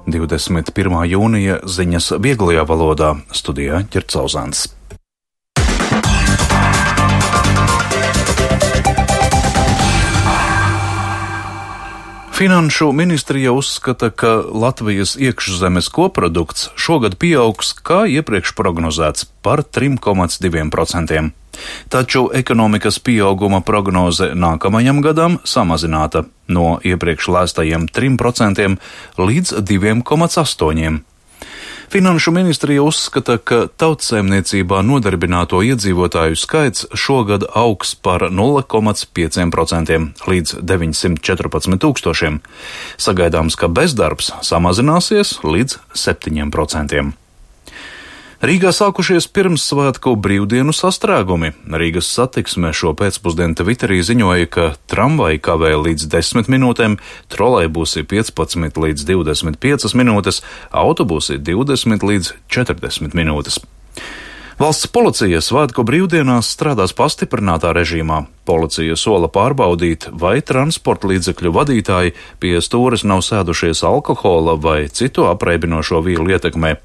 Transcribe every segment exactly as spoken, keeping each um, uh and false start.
divdesmit pirmā jūnija ziņas vieglajā valodā, studijā Ķercauzāns. Finanšu ministrija uzskata, ka Latvijas iekšzemes koprodukts šogad pieaugs, kā iepriekš prognozēts, par trim komats diviem procentiem. Taču ekonomikas pieauguma prognoze nākamajam gadam samazināta no iepriekš lēstajiem trim procentiem līdz diviem komats astoņiem. Finanšu ministrija uzskata, ka tautsaimniecībā nodarbināto iedzīvotāju skaits šogad augs par nulle komats pieciem procentiem līdz deviņsimt četrpadsmit tūkstošiem. Sagaidāms, ka bezdarbs samazināsies līdz septiņiem procentiem. Rīgā sākušies pirmssvētku brīvdienu sastrēgumi. Rīgas satiksme šo pēcpusdienu Twitterī ziņoja, ka tramvaji kavē līdz desmit minūtēm, trolejbusi piecpadsmit līdz divdesmit piecas minūtes, autobusi divdesmit līdz četrdesmit minūtes. Valsts policija svētku brīvdienās strādās pastiprinātā režīmā. Policija sola pārbaudīt, vai transporta līdzekļu vadītāji pie stūres nav sēdušies alkohola vai citu apreibinošo vielu ietekmē.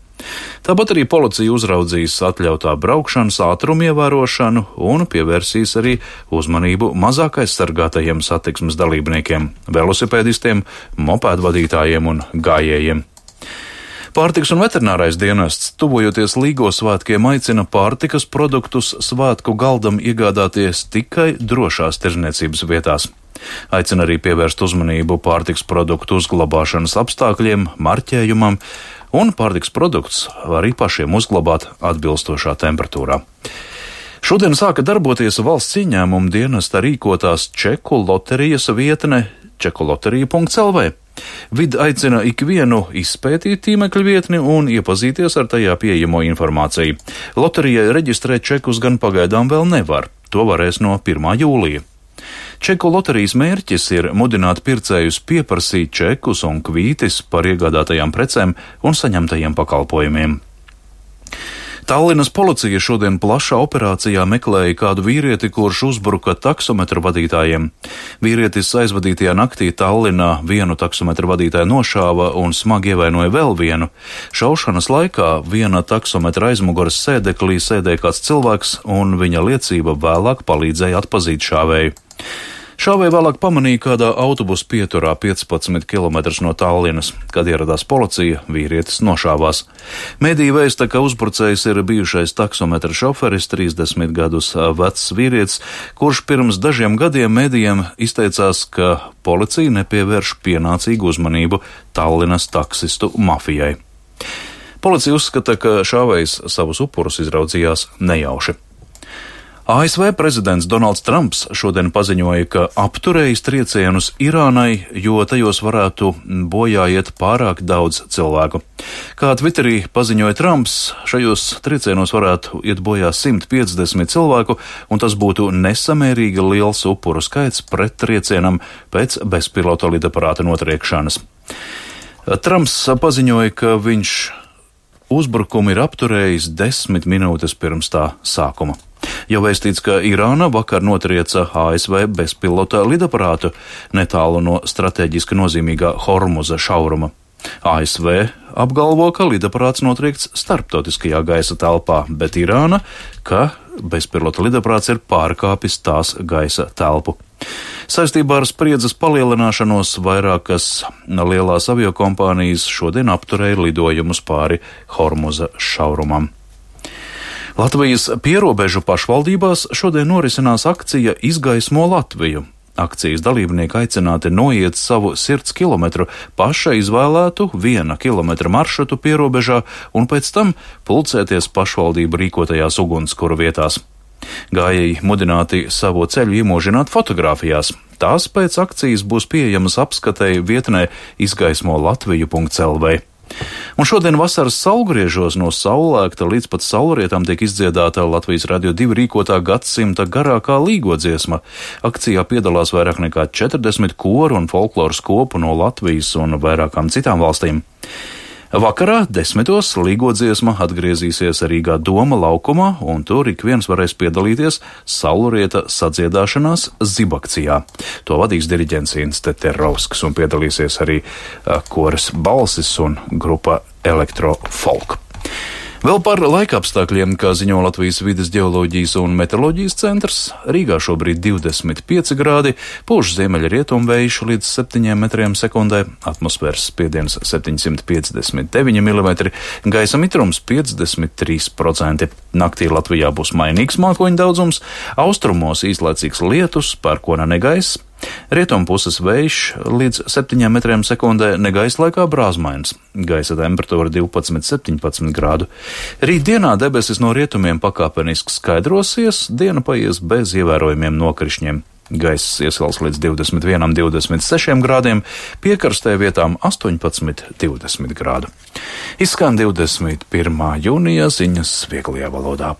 Tāpat arī policija uzraudzīs atļautā braukšanas ātrumu ievērošanu un pievērsīs arī uzmanību mazāk aizsargātajiem satiksmes dalībniekiem, velosipēdistiem, mopēdvadītājiem un gājējiem. Pārtikas un veterinārais dienests, tuvojoties Līgo svētkiem, aicina pārtikas produktus svētku galdam iegādāties tikai drošās tirdzniecības vietās. Aicina arī pievērst uzmanību pārtikas produktu uzglabāšanas apstākļiem, marķējumam, un pārtikas produkts arī pašiem uzglabāt atbilstošā temperatūrā. Šodien sāka darboties valsts ieņēmuma dienesta rīkotās čeku loterijas vietne čekuloterija punkts el vē. Vid aicina ikvienu izpētīt tīmekļa vietni un iepazīties ar tajā pieejamo informāciju. Loterijai reģistrēt čekus gan pagaidām vēl nevar, to varēs no pirmā jūlija. Čeku loterijas mērķis ir mudināt pircējus pieprasīt čekus un kvītis par iegādātajām precēm un saņemtajiem pakalpojumiem. Tallinas policija šodien plašā operācijā meklēja kādu vīrieti, kurš uzbruka taksometru vadītājiem. Vīrietis aizvadītajā naktī Tallinā vienu taksometru vadītāju nošāva un smagi ievainoja vēl vienu. Šaušanas laikā viena taksometra aizmuguras sēdeklī sēdēja kāds cilvēks, un viņa liecība vēlāk palīdzēja atpazīt šāvēju. Šāvēju vēlāk pamanīja kādā autobusu pieturā piecpadsmit kilometrus no Tallinas. Kad ieradās policija, vīrietis nošāvās. Mediji vēsta, ka uzbrucējs ir bijušais taksometra šoferis, trīsdesmit gadus vecs vīrietis, kurš pirms dažiem gadiem medijiem izteicās, ka policija nepievērš pienācīgu uzmanību Tallinas taksistu mafijai. Policija uzskata, ka šāvējs savus upurus izraudzījās nejauši. A S V prezidents Donalds Trumps šodien paziņoja, ka apturējis triecienus Irānai, jo tajos varētu bojā iet pārāk daudz cilvēku. Kā Twitterī paziņoja Trumps, šajos triecienos varētu iet bojā simt piecdesmit cilvēku, un tas būtu nesamērīgi liels upuru skaits pret triecienam pēc bezpilota lidaparāta notriekšanas. Trumps paziņoja, ka viņš uzbrukumu ir apturējis desmit minūtes pirms tā sākuma. Jau vēstīts, ka Irāna vakar notrieca A S V bezpilota lidaparātu netālu no strateģiski nozīmīgā Hormuza šauruma. A S V apgalvo, ka lidaparāts notriekts starptautiskajā gaisa telpā, bet Irāna, ka bezpilota lidaparāts ir pārkāpis tās gaisa telpu. Saistībā ar spriedzes palielināšanos vairākas lielās aviokompānijas šodien apturēja lidojumus pāri Hormuza šaurumam. Latvijas pierobežu pašvaldībās šodien norisinās akcija Izgaismo Latviju. Akcijas dalībnieki aicināti noiet savu sirds kilometru paša izvēlētu viena kilometra maršrutu pierobežā un pēc tam pulcēties pašvaldību rīkotajās ugunskura vietās. Gājēji mudināti savu ceļu iemūžināt fotogrāfijās. Tās pēc akcijas būs pieejamas apskatei vietnē izgaismo latviju punkts el vē. Un šodien vasaras saulgriežos no saulēkta līdz pat saulrietām tiek izdziedāta Latvijas Radio divi rīkotā gadsimta garākā līgo dziesma. Akcijā piedalās vairāk nekā četrdesmit koru un folkloras kopu no Latvijas un vairākām citām valstīm. Vakarā desmitos līgodziesma atgriezīsies Rīgā Doma laukumā, un tur ik viens varēs piedalīties saulrieta sadziedāšanās zibakcijā. To vadīs diriģents Inns Teterovskis, un piedalīsies arī koris Balsis un grupa Elektrofolk. Vēl par laikapstākļiem, kā ziņo Latvijas vides ģeoloģijas un meteoroloģijas centrs, Rīgā šobrīd divdesmit pieci grādi, pūš ziemeļa rietumvējš līdz septiņiem metriem sekundē, atmosfēras spiediens septiņsimt piecdesmit deviņi milimetri, gaisa mitrums piecdesmit trīs procenti. Naktī Latvijā būs mainīgs mākoņu daudzums, austrumos īslaicīgs lietus, pērkona negaiss. Rietumpuses vējš līdz septiņiem metriem sekundē, negaisa laikā brāzmains. Gaisa temperatūra divpadsmit septiņpadsmit grādu. Rīt dienā debesis no rietumiem pakāpeniski skaidrosies, diena paies bez ievērojumiem nokrišņiem. Gaiss iesals līdz divdesmit vienam divdesmit sešiem grādiem, piekarstē vietām astoņpadsmit divdesmit grādu. Izskan divdesmit pirmā jūnija ziņas vieglajā valodā.